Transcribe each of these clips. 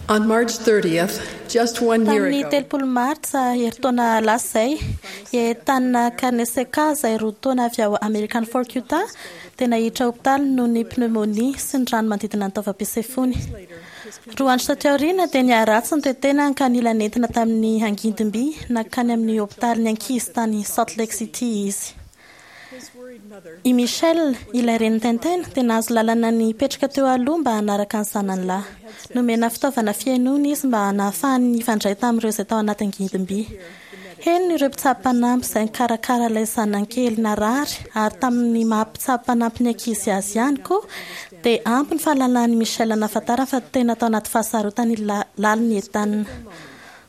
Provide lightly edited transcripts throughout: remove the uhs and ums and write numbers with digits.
On March 30th, just one year Tamin'ny ago, 30 Martsa, herintaona lasa izay, i Ethan Carnesecca, izay 2 taona avy ao American Fork, Utah, dia naiditra hopitaly noho ny pneumonia sy ny rano manodidina ny taovam-pisefoany. 2 andro taty aoriana dia niharatsy ny toe-tenany ka nila nentina tamin'ny angidim-by nankany amin'ny hopitalin'ny ankizy tany Salt Lake City izy. I Michelle, ilay renin'i Tintin, dia nahazo lalana ny hipetraka teo aloha mba hanaraka ny zanany lahy. Nomena fitaovana fihainoana izy mba nahafahany nifandray tamin'ireo izay tao anaty angidim-by. Henony ireo mpitsabo mpanampy izay nikarakara ilay zanany kely narary ary tamin'ny maha mpitsabo mpanampy ny ankizy azy ihany koa dia ampy ny fahalalan'i Michelle nahafantarany fa tena tao anaty fahasarotany lalina i Ethan.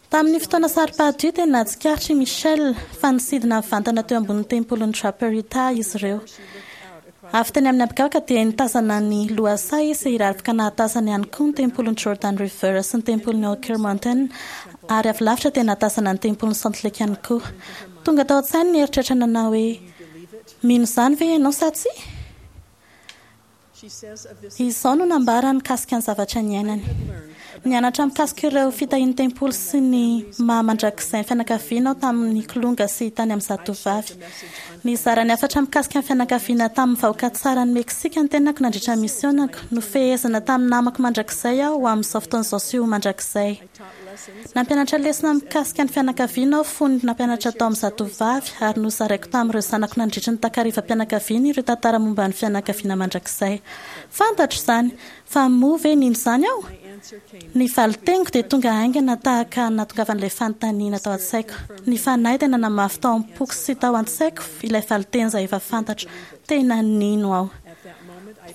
Tamin'ny fotoana saro-pady io dia nahatsikaritra i Michelle fa nisidina nivantana teo ambonin'ny tempolin'i Draper Utah izy ireo. Avy teny amin'ny habakabaka dia nitazana ny lohasaha izy ary afaka nahatazana ihany koa ny tempolin'i Jordan River sy ny tempolin'i Oquirrh Mountain ary avy lavitra dia nahatazana ny tempolin'i Salt Lake ihany koa. Tonga tao an-tsainy ny eritreritra nanao hoe, Mino izany ve ianao sa tsia? Izao no nambarany mikasika ny zavatra niainany, Nianatra mikasika ireo fitahian'ny tempoly sy ny maha mandrakizay ny fianakaviana aho tamin'ny kilonga sy tany amin'ny zatovavy. Nizara ny hafatra mikasika ny fianakaviana tamin'ny vahoaka tsaran'i Meksika ny tenako nandritra ny misiônako. Nofehezina tamin'ny namako mandrakizay aho ho amin'izao fotoana izao sy ho mandrakizay. Nampianatra lesona mikasika ny fianakaviana aho fony nampianatra tao amin'ny Zatovovavy ary nozaraiko tamin'ireo zanako nandritry ny takarivam-pianakaviana ireo tantara momba ny fianakaviana mandrakizay. Fantatro izany, fa moa ve nino izany aho? Ny valin-teniko dia tonga haingana tahaka ny nahatongavan'ilay fanontaniana tao an-tsaiko. Ny Fanahy dia nanamafy tao am-poko sy tao an-tsaiko ilay valin-teny izay efa fantatro. Tena nino aho.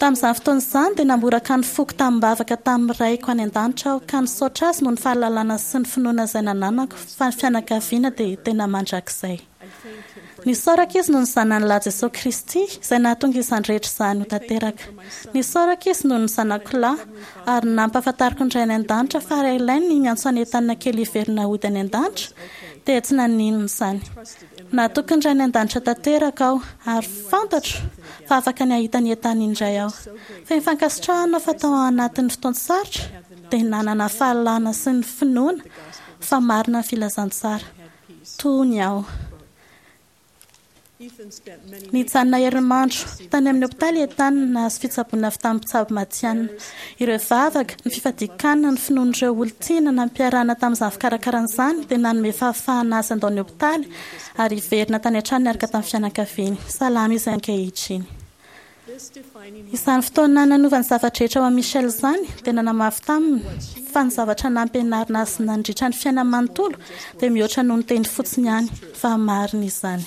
Tamin'izany fotoana izany dia namboraka ny foko tamim-bavaka tamin'ny Raiko any An-danitra aho ka nisaotra Azy noho ny fahalalana sy ny finoana izay nananako fa ny fianakaviana dia tena mandrakizay. Nisaorako Izy noho ny Zanany Lahy Jesoa Kristy izay nahatonga izany rehetra izany ho tanteraka. Nisaorako Izy noho ny zanako lahy ary nampahafantariko ny Ray any An-danitra fa raha ilainy ny miantso an'i Ethan kely hiverina hody any An-danitra dia tsy naninona izany. Natoky ny Ray any An-danitra tanteraka aho, ary fantatro fa afaka ny hahita an'i Ethan indray aho. Feno fankasitrahana aho fa tao anatin'ny fotoan-tsarotra dia nanana fahalalana sy ny finoana fa marina ny filazantsara. Tony aho. Nijanona herinandro tany amin'ny hopitaly i Ethan nahazo fitsaboana avy tamin'ny mpitsabo matihanina. Ireo vavaka, ny fifadian-kanina, ny finoan'ireo olon-tiana nampiarahana tamin'izany fikarakarana izany dia nanome fahafahana azy handao ny hopitaly ary hiverina tany an-trano niaraka tamin'ny fianakaviany. Salama izy ankehitriny. Izany fotoana nanova ny zava-drehetra ho an'i Michelle izany dia nanamafy taminy fa ny zavatra nampianarina azy nandritra ny fiainany manontolo dia mihoatra noho ny teny fotsiny ihany, fa marina izany.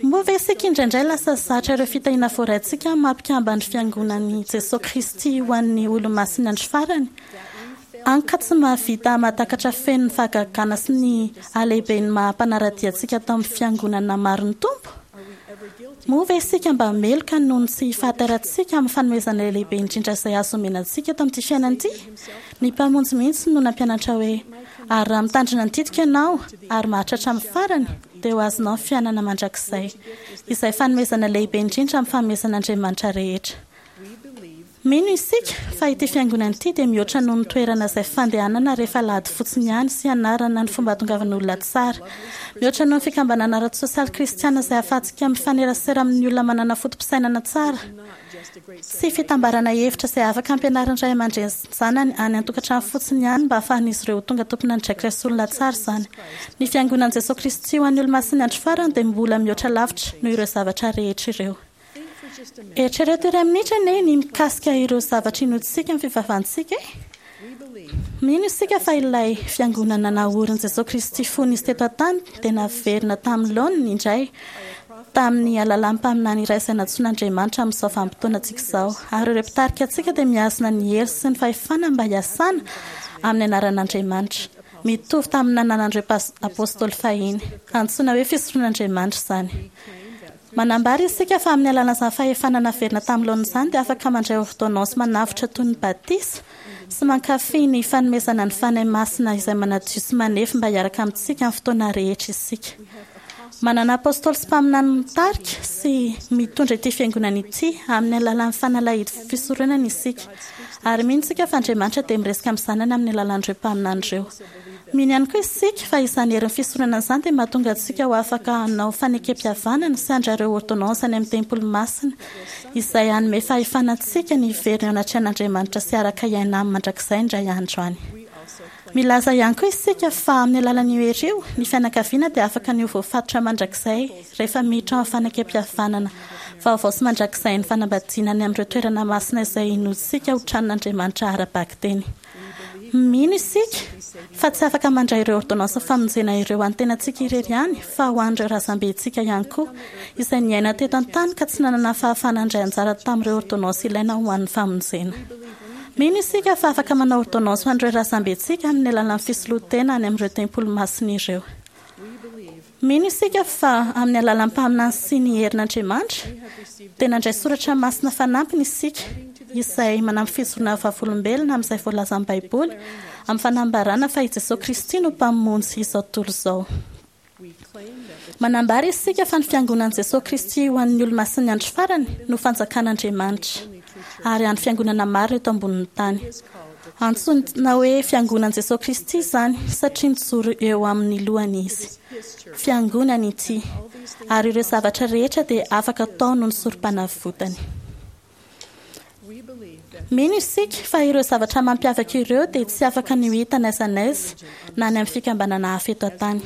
Moa ve isika indraindray lasa zatra ireo fitahiana voaraintsika amin'ny maha mpikamban'ny Fiangonan'i Jesoa Kristy ho an'ny Olomasin'ny Andro Farany? Hany ka tsy mahavita mahatakatra feno ny fahagagana sy ny halehiben'ny maha mpanara-dia antsika tao amin'ny Fiangonana marin'ny Tompo? Moa ve isika mba meloka noho ny tsy fahatairantsika amin'ny fanomezana lehibe indrindra izay azo omena antsika eto amin'ity fiainana ity? Ny Mpamonjy mihitsy no nampianatra hoe, Ary raha mitandrina ny didiko ianao ary maharitra hatramin'ny farany, dia ho azonao ny fiainana mandrakizay, izay fanomezana lehibe indrindra amin'ny fanomezan'Andriamanitra rehetra. Mino isika fa ity fiangonana ity dia mihoatra noho ny toerana izay fandehanana rehefa alahady fotsiny ihany sy hianarana ny fomba hahatongavan'olona tsara. Mihoatra noho ny fikambanana ara-tsosialy kristiana izay ahafahantsika mifanerasera amin'ny olona manana foto-pisainana tsara. Tsy fitambarana hevitra izay afaka ampianarin'ny ray aman-dreny sy ny zanany any an-tokantrano fotsiny ihany mba hahafahan'izy ireo ho tonga tompon'andraikitra sy olona tsara izany. Ny Fiangonan'i Jesoa Kristy ho an'ny Olomasin'ny Andro Farany dia mbola mihoatra lavitra noho ireo zavatra rehetra ireo. Eritrereto iray minitra anie ny mikasika ireo zavatra inoantsika amin'ny fivavahantsika e! Mino isika fa ilay Fiangonana naorin'i Jesoa Kristy fony Izy teto an-tany dia naverina tamin'ny laoniny indray tamin'ny alalan'ny mpaminany iray izay nantsoin'Andriamanitra amin'izao vanim-potoanantsika izao. Ary ireo mpitarika antsika dia mihazona ny hery sy ny fahefana mba hiasana amin'ny anaran'Andriamanitra, mitovy tamin'ny nananan'ireo Apôstôly fahiny. Antsoina hoe fisoron'Andriamanitra izany. Manambara isika fa amin'ny alalan'izany fahefana naverina tamin'ny laoniny izany dia afaka mandray ôrdônansy manavotra toy ny batisa sy mankafy ny fanomezana ny Fanahy Masina izay manadio sy manefy mba hiaraka amintsika amin'ny fotoana rehetra isika. Manana apôstôly sy mpaminany mitarika sy mitondra ity Fiangonana ity amin'ny alalan'ny fanalahidy fisoronana isika. Ary mino isika fa Andriamanitra dia miresaka amin'ny Zanany amin'ny alalan'ireo mpaminany ireo. Mino ihany koa isika fa izany herin'ny fisoronana izany dia mahatonga antsika ho afaka hanao fanekempihavanana sy handray ireo ôrdônansy any amin'ny tempoly masina izay hanome fahefana antsika ny hiverina eo anatrehan'Andriamanitra sy hiaraka hiaina Aminy mandrakizay indray andro any. Milaza ihany koa isika fa amin'ny alalan'io hery io, ny fianakaviana dia afaka ny ho voafatotra mandrakizay rehefa miditra ao amin'ny fanekempihavanana vaovao sy mandrakizain'ny fanambadiana any amin'ireo toerana masina izay inoantsika ho tranon'Andriamanitra ara-bakiteny. Mino isika fa tsy afaka mandray ireo ôrdônansin'ny famonjena ireo ho an'ny tenantsika irery ihany fa ho an'ireo razambentsika ihany koa izay niaina teto an-tany ka tsy nanana fahafahana handray anjara tamin'ireo ôrdônansy ilaina ho an'ny famonjena. Mino isika fa afaka manao ôrdônansy ho an'ireo razambentsika amin'ny alalan'ny fisoloan-tena any amin'ireo tempoly masina ireo. Mino isika fa amin'ny alalan'ny mpaminany sy ny herin'Andriamanitra dia nandray soratra masina fanampiny isika izay manampy fijoroana vavolombelona amin'izay voalazan'ny Baiboly amin'ny fanambarana fa i Jesoa Kristy no Mpamonjy izao tontolo izao. Manambara isika fa ny Fiangonan'i Jesoa Kristy ho an'ny Olomasin'ny Andro Farany no Fanjakan'Andriamanitra, ary hany Fiangonana marina eto ambonin'ny tany. Antsoina hoe Fiangonan'i Jesoa Kristy izany satria mijoro eo amin'ny lohany Izy. Fiangonany ity, ary ireo zavatra rehetra dia afaka atao noho ny Sorompanavotany. Mino isika fa ireo zavatra mampiavaka ireo dia tsy afaka ny ho hita n'aiza n'aiza na any amin'ny fikambanana hafa eto an-tany.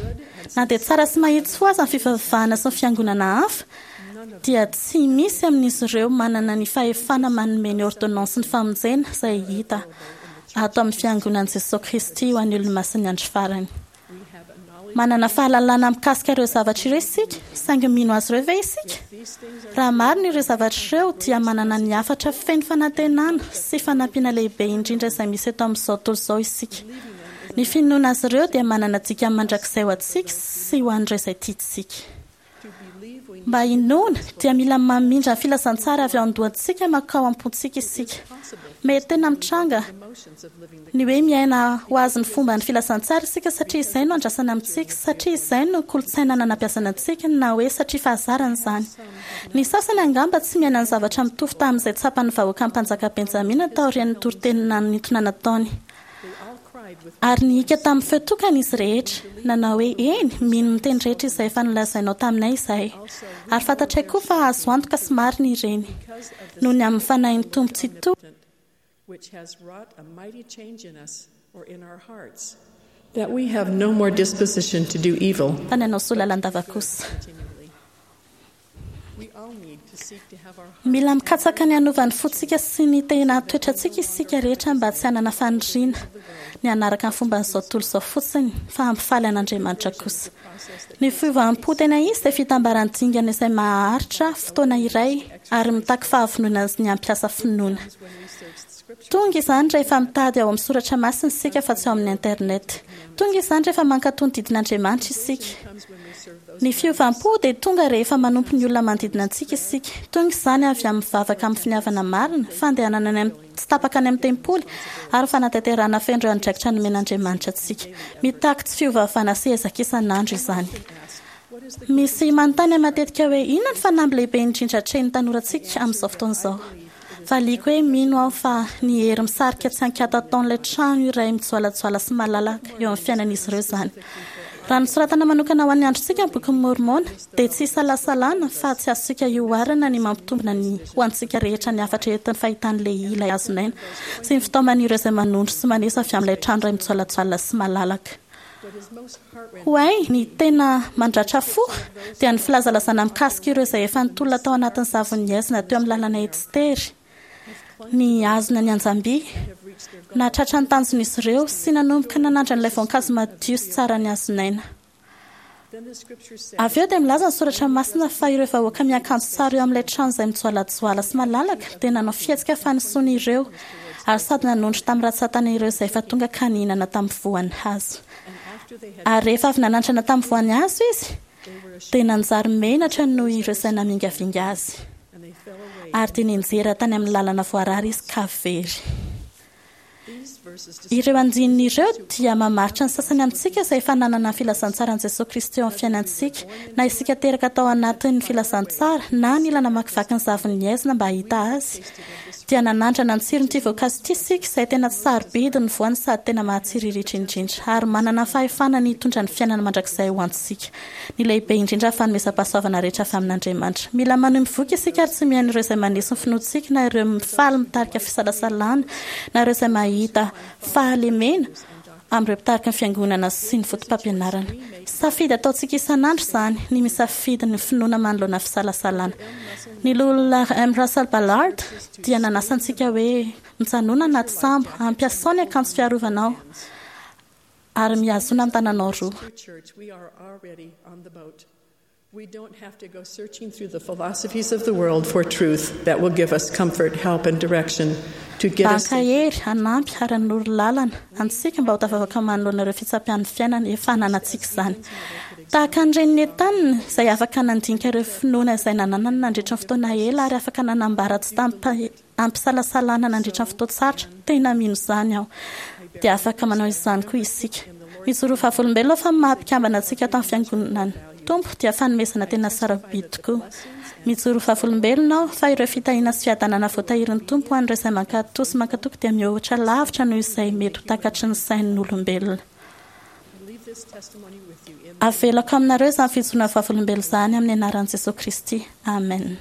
Na dia tsara sy mahitsy fo aza ny fivavahana sy ny fiangonana hafa, dia tsy misy amin'izy ireo manana ny fahefana manome ny ôrdônansin'ny famonjena izay hita ato amin'ny Fiangonan'i Jesoa Kristy ho an'ny Olomasin'ny Andro Farany. Manana fahalalana mikasika ireo zavatra ireo isika, saingy mino azy ireo ve isika? Raha marina ireo zavatra ireo, dia manana ny hafatra feno fanantenana sy fanampiana lehibe indrindra izay misy eto amin'izao tontolo izao isika. Ny finoana azy ireo dia manana dikany mandrakizay ho antsika sy ho an'ireo izay tiantsika. Mba hinoana, dia mila mamindra ny filazantsara avy ao an-dohantsika mankao am-pontsika isika. Mety tena mitranga ny hoe miaina ho azy ny fomban'ny filazantsara isika satria izay no andrasana amintsika, satria izay no kolontsaina nanabeazana antsika, na hoe satria fahazarana izany. Ny sasany angamba tsy miaina ny zavatra mitovy tamin'izay tsapan'ny vahoakan'ny mpanjaka Benjamina taorian'ny toriteny nanintona nataony. Ary nihiaka tamin'ny feo tokana izy rehetra, nanao hoe, Eny, mino ny teny rehetra izay efa nolazainao taminay izahay, ary fantatray koa fa azo antoka sy marina ireny, noho ny amin'ny Fanahin'ny Tompo Tsitoha. Fa ny hanao soa lalandava kosa. Mila mikatsaka ny hanova ny fontsika sy ny tena toetrantsika isika rehetra mba tsy hanana faniriana ny hanaraka ny fomban'izao tontolo izao fotsiny fa hampifaly an'Andriamanitra kosa. Ny fiovam-po tena izy dia fitambaran'ny dingana izay maharitra fotoana iray ary mitaky fahavononana ny hampiasa finoana. Tonga izany rehefa mitady ao amin'ny soratra masina isika fa tsy ao amin'ny internet. Tonga izany rehefa mankatò ny didin'Andriamanitra isika. Ny fiovam-po dia tonga rehefa manompo ny olona manodidina antsika isika. Tonga izany avy amin'ny vavaka amin'ny finiavana marina, fandehanana any amin'ny tsy tapaka any amin'ny tempoly, ary fanatanterahana feno ireo andraikitra nomen'Andriamanitra antsika. Mitaky tsy fiovaovana sy ezaka isan'andro izany. Misy manontany ahy matetika hoe inona ny fanamby lehibe indrindra atrehin'ny tanorantsika amin'izao fotoana izao. Valiako hoe mino aho fa ny hery misarika tsy an-kiato ataon'ilay trano iray mijoalajoala sy malalaka eo amin'ny fiainan'izy ireo izany. Raha nosoratana manokana ho an'ny androntsika ny Bokin'i Môrmôna, dia tsy isalasalana fa tsy azontsika ioharana ny mampitombina ny ho antsika rehetra ny hafatra entin'ny fahitan'i Lehia ilay hazon'aina sy ny fitaoman'ireo izay manondro sy maneso avy amin'ilay trano iray mijoalajoala sy malalaka. Ho ahy, ny tena mandratra fo dia ny filazalazana mikasika ireo izay efa nitolona tao anatin'ny zavon'ny haizina teo amin'ny lalana etsy tery, nihazona ny anjam-by, nahatratra ny tanjon'izy ireo sy nanomboka nanandrana ilay voankazo madio sy tsaran'ny hazon'aina. Avy eo dia milaza ny soratra masina fa ireo vahoaka miakanjo tsara eo amin'ilay trano izay mijoalajoala sy malalaka dia nanao fihetsika fanesoana ireo ary sady nanondro tamin'ny rantsantana ireo izay efa tonga ka nihinana tamin'ny voan'ny hazo. Ary rehefa avy nanandrana tamin'ny voan'ny hazo izy, dia nanjary menatra noho ireo izay namingavinga azy. Ary dia nianjera tany amin'ny lalana voarara izy ka very. Ireo andininy ireo dia mamaritra ny sasany amintsika izay efa nanana ny filazantsaran'i Jesoa Kristy eo amin'ny fiainantsika, na isika teraka tao anatin'ny filazantsara na nila namakivaky ny zavon'ny haizina mba hahita azy. Dia nanandrana ny tsiron'ity voankazo ity isika, izay tena sarobidy ny voany sady tena mahatsiriritra indrindra, ary manana ny fahefana ny hitondra ny fiainana mandrakizay ho antsika. Ny lehibe indrindra fanomezam-pahasoavana rehetra avy amin'Andriamanitra. Mila manohy mivoky isika ary tsy mihaino ireo izay maneso ny finoantsika na ireo mifaly mitarika fisalasalana na ireo izay mahita fahalemena amin'ireo mpitariky ny Fiangonana sy ny fotopampianarana. Safidy ataontsika isan'andro izany ny misafidy ny finoana manoloana fisalasalana. Ny Loholona M. Russell Ballard dia nanasa antsika hoe, Mijanòna anaty sambo, ampiasao ny akanjo fiarovanao, ary mihazona ny tananao roa. We don't have to go searching through the philosophies of the world for truth that will give us comfort, help, and direction to get us. Mba hankahery, hanampy ary hanoro lalana antsika mba ho tafavoaka manoloana ireo fitsapian'ny fiainana efa ananantsika izany. Tahaka ny renin'i Ethan, izay afaka nandinika ireo finoana izay nananany nandritra ny fotoana ela ary afaka nanambara tsy tamim-pahefana Ampisalasalana nandritra ny fotoan-tsarotra, tena mino izany aho. Dia afaka manao izany koa isika. Mijoroa vavolombelona fa ny maha-mpikambana antsika ato amin'ny Fiangonan'ny Tompo dia fanomezana tena sarobidy tokoa. Mijoroa vavolombelona aho fa ireo fitahiana sy fiadanana voatahirin'ny Tompo ho an'ireo izay mankatò sy mankatoky dia mihoatra lavitra noho izay mety ho takatry ny sain'olombelona. Avelako aminareo izany fijoroana vavolombelona izany amin'ny anaran'i Jesoa Kristy. Amen.